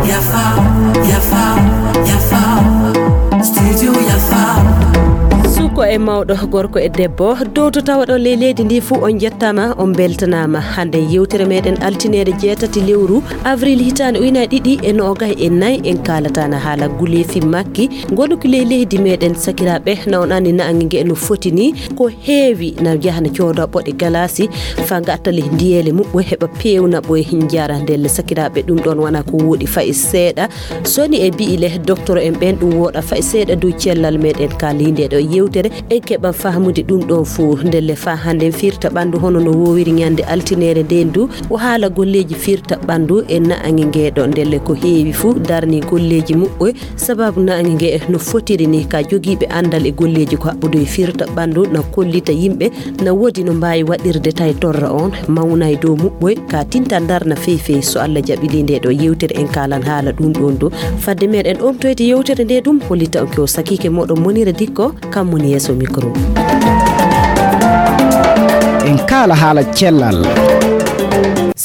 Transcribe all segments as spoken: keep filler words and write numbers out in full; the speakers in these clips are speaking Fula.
Yafa, yafa, yafa. Studio yafa. Suko e mawɗo, gorko e debbo, dowto tawaɗo ley leydi ndi fuu, on njettaama, on mbeltanaama. Hannde yewtere meɗen altineere jeetati lewru avril hitaande ujunaaji ɗiɗi e noogay e nayi, en kaalata na haala nguleefi makki. Ngonu ko ley leydi meɗen, sakiraaɓe, na on anndi naange nge no foti ni, ko heewi na yaha na cooda ɓoɗe galaasi, fa ngatta ley ndiyeele muɓɓe heɓa peewna ɓoye njara. Ndelle sakiraaɓe, ɗum ɗon wona ko woɗi fay seeɗa. Soni e bi'i le docteur en ɓen ɗum woɗa fay seeɗa dow cellal meɗen ka ley nde ɗo yewtere. En keɓan fahmude ɗum ɗon fuu. Ndelle fa hannde firta ɓanndu hono no wowiri ñande altineere nden du. O haala golleeji firta ɓanndu e naange nge ɗo. Ndelle ko heewi fuu darni golleeji muɓɓe. Sababu naange nge no fotiri ni ka jogiiɓe anndal e golleeji ko haɓɓude e firta ɓanndu na kollita yimɓe na woodi no mbaawi waɗirde tawi torra on mawna e dow muɓɓoy ka tinta ndarna fey fey. So Allah jaɓi ley nde ɗo yewtere en kaalan haala ɗum ɗon do. Fadde meɗen omtoyde yewtere nde ɗum hollita on ko sakiike moɗon Monira Dikko, kam woni yeeso micro. En kaala haala cellal.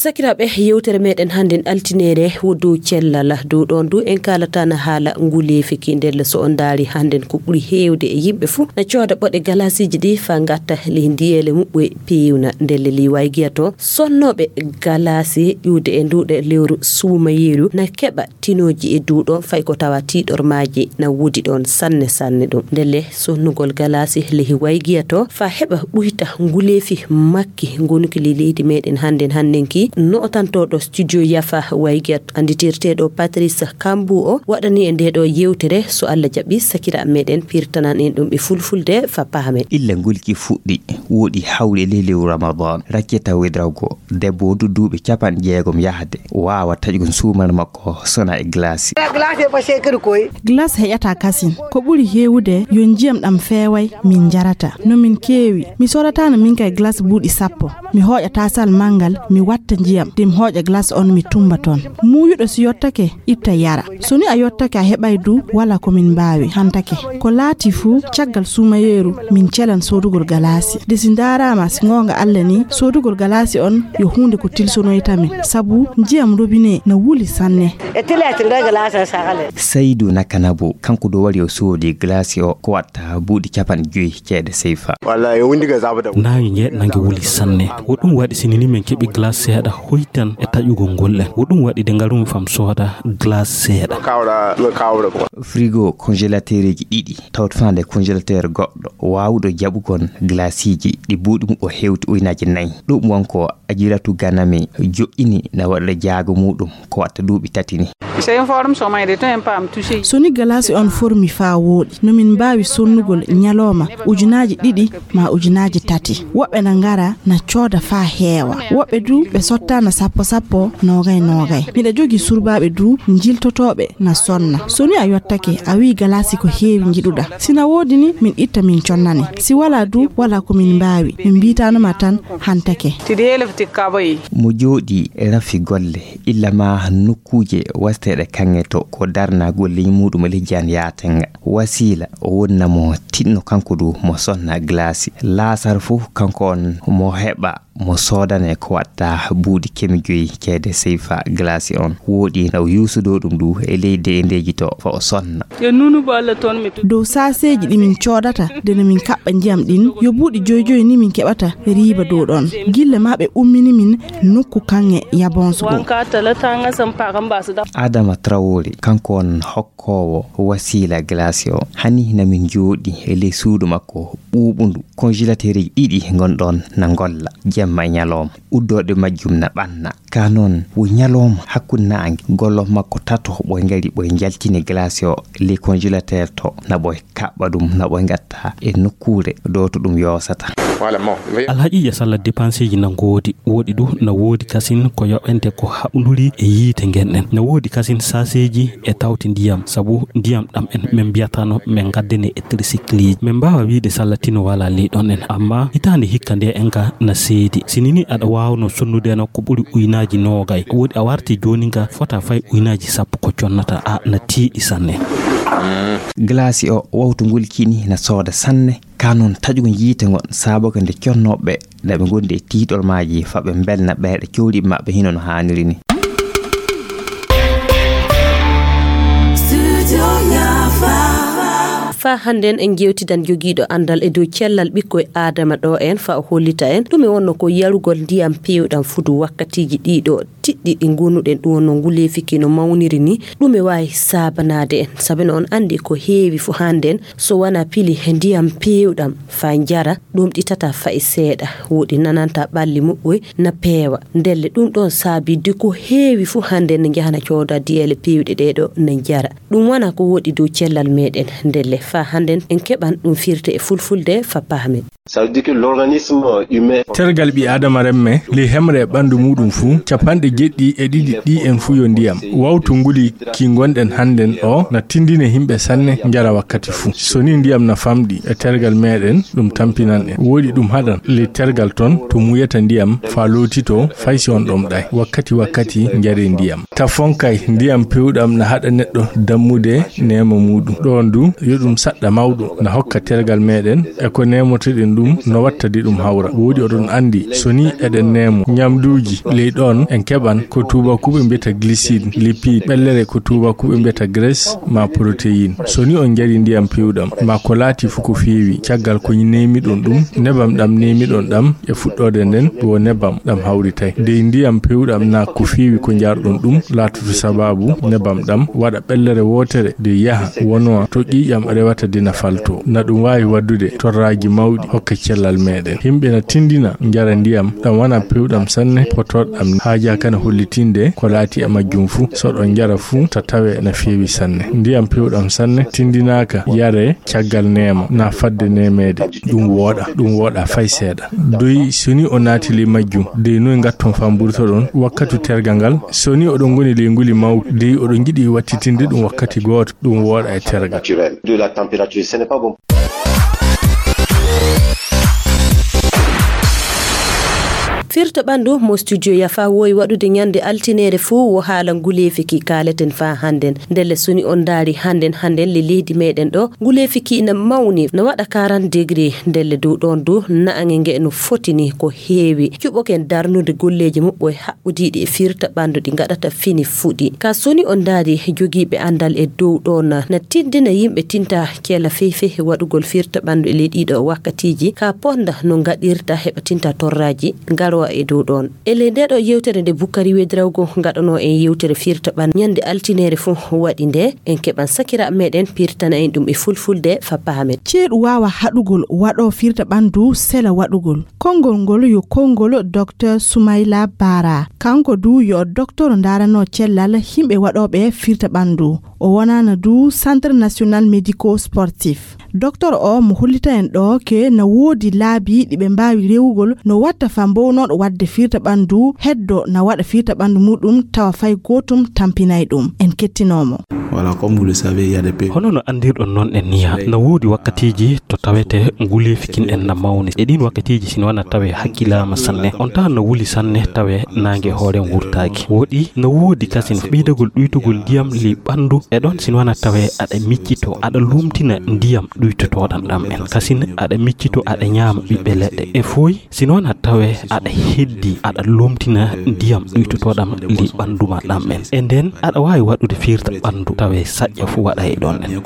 Sakiraaɓe, yewtere meɗen hannden altineere wo dow cellal. Dow ɗon du en kaalata na haala nguleefi ki. Ndelle so on ndaari hannden ko ɓuri heewde e yimɓe fuu na cooda ɓoɗe galaasiiji ɗi fa ngatta ley ndiyeele muɓɓe peewna. Ndelle ley waygiya to sonnooɓe galaasi ƴuwde e nduuɗe lewru suumayeeru na keɓa tinooji e dow ɗon, fay ko tawa tiiɗormaaji na woodi ɗon sanne sanne ɗum. Ndelle sonnugol galaasi ley waygiya to fa heɓa ɓuyta nguleefi makki, ngonu ki ley leydi meɗen hannden hannden ki. Nootantooɗo studio yafa waygiya annditirteeɗo Patrice Kambu o waɗani e nde ɗo yewtere. So Allah jaɓi, sakiraaɓe meɗen pirtanan en ɗum e fulfulde fa paamen. Illa ngulki fuɗɗi, woɗi hawle ley lewru Ramadan, rakketa wedrago, debbo wondu duuɓi capanɗe jeegom yahde, waawa taƴugol suumal makko sona e glace. Glace heƴata kasin. Ko ɓuri heewude yo njiyam ɗam feeway, min njarata. No min keewi. Mi soodataano min kay glace buuɗi sappo. Mi hooƴa taasal manngal, mi watta njiyam, de mi hooƴa glace on, mi tumba toon. Muuyuɗo si yottake, itta yara. So ni a yottake a heɓay du, wala ko min mbaawi, hantake. Ko laati fuu, caggal suumayeeru, min celan soodugol galaasi. De si ndaaraama, si ngoonga Alla ni, soodugol galaasi on yo huunde ko tilsonoyta min, sabu njiyam robine na wuli sanne. E tilete nder glace sagale. Saydu Nakanabo, kanko do wari o soodi glace o ko watta buuɗi capanɗe joyi ceede seyfa. Walla yo wundi ga zaba da. Naange nge nange wuli sanne. Wo ɗum waɗi sinini min keɓi glace seeɗa hoytan e taƴugol ngol ɗen. Wo ɗum waɗi de ngarumi fam sooda glace seeɗa. Kawra, ɗo kawra ko. Frigo congélateur ji ɗiɗi, tawto fande congélateur goɗɗo, waawuɗo jaɓugol glaceiji ɗi buuɗi mum o hewti ujunaaji nayi. Ɗum wonko Ajiratu Ganami jo'ini na waɗa jaago muɗum ko watta duuɓi tati ni. C'est une forme sommeil de temps pas me toucher. So ni galaasi on formi faa wooɗi, no min mbaawi sonnugol ñalooma ujunaaji ɗiɗi ma ujunaaji tati. Woɓɓe na ngara na cooda faa heewa. Woɓɓe du ɓe sotta na sappo sappo, noogay noogay. Miɗa jogi surbaaɓe du njiltotooɓe na sonna. So ni a yottake, a wi'i galaasi ko heewi njiɗuɗa. Si na woodi ni, min itta min connane. Si walaa du, walaa ko min mbaawi. Min mbiitaano ma tan, hantake. Tidi helef ti kaba yi. Mo jooɗi rafi golle, illa ma nokkuuje wasteeɗe kaŋŋe to ko darna golle muɗum e lejjan yaatenga. Wasiila o wonna mo tinno kanko du mo sonna glaasi. Laasar fof kanko on mo heɓa mo soodane ko watta buuɗi kemi joyi ceede seyfa glaasi on. Wooɗi na o yuusudo ɗum du e leydi e ndeji to fa o sonna. E nunu balla ton mi tu. Dow saaseeji ɗi min coodata, nde no min kaɓɓa njiyam ɗin, yo buuɗi joyi joyi ni min keɓata riiba dow ɗon. Gilla ma ɓe ummini min nokku kaŋŋe yabonso go. Wanka tala tanga sam paga mbasa da. Adama Traoré, kanko on hokkoowo wasiila glace o. Hani na min jooɗi e ley suudu makko ɓuuɓundu. Congélateur ɗiɗi ngon ɗon na ngolla, jemma e ñalawma. Uddooɗe majjum na ɓanna. Ka noon, wo ñalawma hakkunde naange, gollo makko tato ɓoy ngari ɓoy njaltini glace o ley congélateur to, na ɓoy kaɓɓa ɗum, na ɓoy ngatta e nokkuure ɗo to ɗum yoosata. Alhaqiiqa salla dépenseeji na ngoodi, woɗi du na woodi kasin ko yoɓente ko haɓnduri e yiite ngen ɗen. Na woodi kasin saaseeji e tawti ndiyam, sabu ndiyam ɗam en min mbiyatano min ngaddene e tricycleeji. Min mbaawa wiide salla tino wala ley ɗon en, amma hitaande hikka nde en ka na seedi. Si nini aɗa waawno sonnudeno ko ɓuri uynaaji noogay, woodi a warti jooni nga fota fay uynaaji sappo ko connata, a na tiiɗi sanne. Glace o wawtu nguli kini na sooda sanne, ka noon taƴugol yiite ngon saabaka nde connooɓe na ɓe ngondi e tiiɗol maaji fa ɓe mbelna ɓeeɗe cowɗiiɓe maɓɓe hino no haaniri ni. Fa hannden en jewtidan jogiiɗo anndal e dow cellal ɓikkoy Aadama ɗo en fa o hollita en ɗume wonno ko yarugol ndiyam peewɗam fudu wakkatiiji ɗiɗo tiɗɗi ɗi gonuɗen ɗum wonno nguleefi ki no mawniri ni ɗume waawi saabanaade en sabi no on anndi ko heewi fu hannden so wona pili ndiyam peewɗam fa njara ɗum ɗitata fa'i seeɗa woɗi nananta ɓalli muɓɓoy na peewa ndelle ɗum ɗon saabi de ko heewi fu hannden ne njahana cooda diyeele peewɗe ɗeeɗo ne njara ɗum wona ko woɗi dow cellal meɗen ndelle fa hannden en keɓan ɗum firte e fulfulde fa paamen. Tergal ɓi Aadama remme ley hemre e ɓanndu muuɗum fuu, capanɗe jeɗɗi e ɗiɗi ɗi en fuu yo ndiyam. Wawtu nguli ki ngonɗen hannden o na tinndina himɓe sanne njara wakkati fuu. So ni ndiyam na famɗi e tergal meɗen, ɗum tampinan en. Woɗi ɗum haɗan ley tergal ton to muyata ndiyam faa lootitoo fay si on ɗomɗay. Wakkati wakkati njaree ndiyam. Tafonkay ndiyam peewɗam na haɗa neɗɗo dammude neema muuɗum. Ɗoon du yo ɗum saɗɗa mawɗo na hokka tergal meɗen e ko neemotoɗen ɗum no watta de ɗum hawra. Woɗi oɗon anndi so ni eɗen neemo ñamduuji ley ɗoon en keɓan ko tuubakuuɓe mbiyata glycide, lipide, ɓellere ko tuubakuuɓe mbiyata graisse maa protéine. So ni on njarii ndiyam peewɗam maa ko laatii fu ko feewi caggal ko neemiɗon ɗum, nebam ɗam neemiɗon ɗam e fuɗɗoode nden wo nebam ɗam hawritay. Dey ndiyam peewɗam na ko feewi ko njarɗon ɗum laatoto sabaabu nebam ɗam waɗa ɓellere wootere de yaha wonoo to ƴiiƴam rewata de na faltoo. Na ɗum waawi waɗdude torraaji mawɗi hokka cellal meɗen. Himɓe na tinndina njara ndiyam ɗam wona peewɗam sanne potooɗam ni. Haajaa kana hollitinde ko laati e majjum fuu. So ɗon njara fuu ta tawe na feewi sanne. Ndiyam peewɗam sanne tinndinaaka yaree caggal neema na fadde neemeede. Ɗum wooɗa, ɗum wooɗa fay seeɗa. Doy so ni o naati ley majjum, dey noy ngatton faa mburtoɗon wakkatu tergal ngal? So ni oɗon ngoni ley nguli mawki, dey oɗon njiɗi wattitinde ɗum wakkati gooto, ɗum wooɗa e tergal. Firta ɓanndu mo studio yafa woyi waɗude ñande altineere fuu wo haala nguleefi ki kaaleten faa hannden. Ndelle so ni on ndaari hannden hannden le leydi meɗen ɗo, nguleefi ki ina mawni, no waɗa quarante degré. Ndelle dow ɗoon du, na'ange nge no foti ni ko heewi. Cuɓoken darnude golleeji muɓɓoy haɓɓudiiɗi e firta ɓanndu ɗi ngaɗata fini fuɗi. Ka so ni on ndaari jogiiɓe anndal e dow ɗoon na tinndina yimɓe tinta cela fey fey waɗugol firta ɓanndu e ley ɗiiɗo wakkatiiji. Ka ponda no ngaɗirta heɓa tinta torraaji ngarowa e dow ɗoon. E ley nde ɗo yewtere nde Bukkari Wedrawgo ngaɗanoo en yewtere firta ɓan ñande altineere fuu waɗi nde en keɓan sakira meɗen pirtana en ɗum e fulfulde fa paamen. Ceeɗu waawa haɗugol waɗoo firta ɓanndu sela waɗugol. Konngol ngol yo konngol Docteur Soumaïla Bara. Kanko du yo docteur ndaranoo cellal himɓe waɗooɓe firta ɓanndu. O wonaana du Centre National Médico Sportif. Docteur o mo hollita en ɗo ke na woodi laabi ɗi ɓe mbaawi rewugol no watta fa mbownooɗo waɗde firta ɓanndu heddo na waɗa firta ɓanndu muɗum tawa fay gootum tampinay ɗum. En kettinoo mo. Voilà, comme vous le savez, il y a des pays. Hono no anndirɗon noon en niya, na woodi wakkatiiji to tawete nguleefi kin en na mawni. E ɗiin wakkatiiji si no wona tawe hakkilaama sanne, on tawa no wuli sanne tawe naange hoore wurtaaki. Woɗi no woodi kasin ɓeydagol ɗuytugol ndiyam ley ɓanndu e ɗon si no wona tawe aɗa miccito, aɗa lumtina ndiyam ɗuytotooɗam ɗam en. Kasin aɗa miccito, aɗa ñaama ɓiɓɓe leɗɗe. E foy si no wona tawe aɗa heddi, aɗa lumtina ndiyam ɗuytotooɗam ley ɓanndu ma ɗam en. E nden aɗa waawi waɗude firta ɓanndu tawe saƴƴa fu waɗa e ɗon en.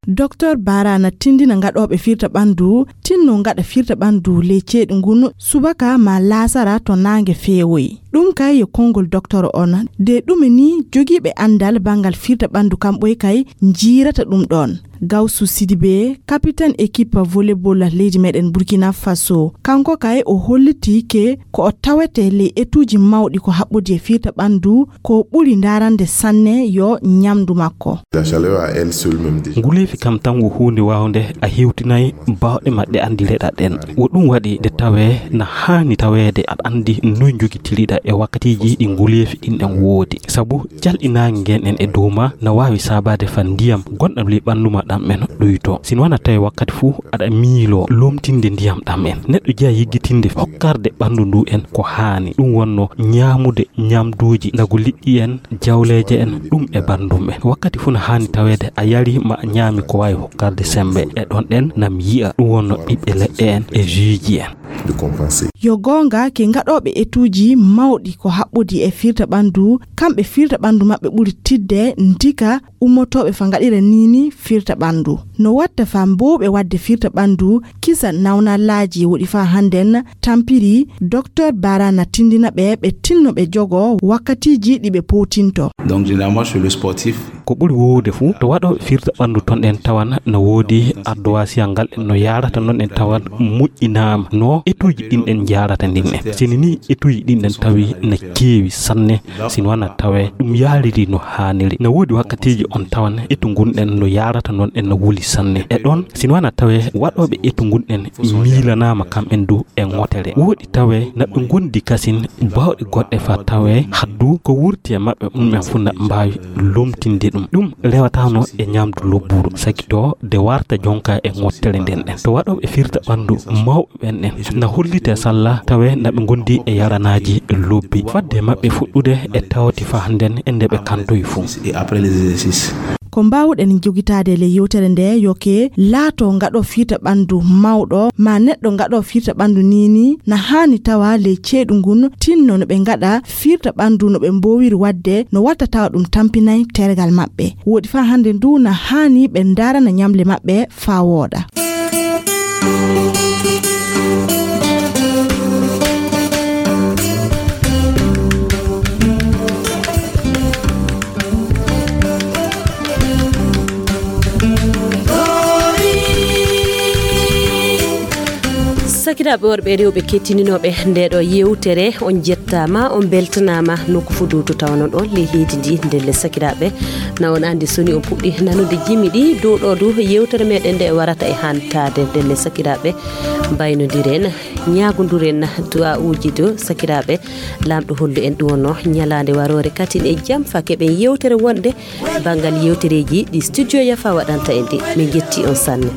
Docteur Bara na tinndina ngaɗooɓe firta ɓanndu, tinno ngaɗa firta ɓanndu ley ceeɗu ngun subaka ma laasara to naange feewoyi. Ɗum kay yo konngol docteur on. De ɗume ni jogiiɓe anndal banngal firta ɓanndu kamɓoy kay njiirata ɗum ɗoon. Gawsu Sidibe, capitaine équipe volleyball leydi meɗen Burkina Faso. Kanko kay o holliti ke ko o tawete ley etuuji mawɗi ko haɓɓodi e firta ɓanndu ko ɓuri ndarande sanne yo ñamdu makko. Nguleefi kam tan wo huunde waawnde a hewtinay baawɗe maɗɗe anndireɗa ɗen. Wo ɗum waɗi nde tawee na haani taweede aɗa anndi noy njogitiriɗa e wakkatiiji ɗi nguleefi ɗin ɗen woodi. Sabu jalɗi naange ngen en e dow ma na waawi saabaade fa ndiyam gonɗam ley ɓanndu ma ɗam en ɗuyto. Sino wona tawi wakkati fuu aɗa miiloo lomtinde ndiyam ɗam en. Neɗɗo jeya yiggitinde hokkarde ɓanndu ndu en ko haani. Ɗum wonno ñaamude ñamduuji, nagu liƴƴi en, jawleeje en, ɗum e banndum en. Wakkati fuu na haani taweede a yari ma a ñaami ko waawi hokkarde semmbe. E ɗon ɗen nam yi'a ɗum wonno ɓiɓɓe leɗɗe en e juuji en. Yo goonga ke ngaɗooɓe etuuji mawɗi ko haɓɓodi e firta ɓanndu, kamɓe firta ɓanndu maɓɓe ɓuri tidde ndika ummotooɓe fa ngaɗira niini firta ɓanndu. No watta fa mbowɓe waɗde firta ɓanndu kisa nawnalaaji woɗi fa hannden tampiri, Docteur Bara na tindina ɓe ɓe tinno ɓe jogo wakkatiiji ɗi ɓe powtinto. Donc généralement chez le sportif, ko ɓuri woowude fuu to waɗooɓe firta ɓanndu ton en tawan no woodi ardoisiyal ngal en no yaarata non en tawan moƴƴinaama no etuuji ɗin en njaarata ndin en. Sini ni etuuji ɗin en tawi na keewi sanne, sino wona tawe ɗum yaariri no haaniri. No woodi wakkatiiji on tawan etu ngun en no yaarata non en no wuli sanne. E ɗon sino wona tawe waɗooɓe etu ngun en miilanaama kam en du e ŋotere. Woodi tawe na ɓe ngondi kasin baawɗe goɗɗe fa tawe haddu ko wurti e maɓɓe ɗum en fuu na mbaawi lomtinde ɗum. Ɗum rewataano e ñamdu lobburu, saki to de warta jonka e ŋottere nden ɗen. To waɗooɓe firta ɓanndu mawɓe ɓen ɗen na hollite salla tawe na ɓe ngondi e yaranaaji lobbi. Fadde maɓɓe fuɗɗude e tawti fa hannden e nde ɓe kantoyi fuu. Et après les exercices. Ko mbaawɗen jogitaade e ley yewtere nde yo ke laato ngaɗo firta ɓanndu mawɗo ma neɗɗo ngaɗo firta ɓanndu niini na haani tawa ley ceeɗu ngun tinno no ɓe ngaɗa firta ɓanndu no ɓe mboowiri waɗde no watta tawa ɗum tampinay tergal maɓɓe. Woodi fa hannde ndu na haani ɓe ndaarana ñamle maɓɓe fa wooɗa. Sakiraaɓe worɓe e rewɓe kettininooɓe nde ɗo yewtere, on jettaama, on mbeltanaama nokku fuu du to tawano ɗon ley leydi ndi. Ndelle sakiraaɓe, na on anndi soni on puɗɗi nanude jimi ɗi dow ɗo du yewtere meɗen nde warata e hantaade. Ndelle sakiraaɓe, mbaynodiren ñaagondiren du'aa'uuji du sakiraaɓe. Laamɗo hollu en ɗum wonno ñalaande waroore katin e jam fa keɓen yewtere wonde banngal yewtereeji ɗi studio yafa waɗanta en ɗi. Min njetti on sanne.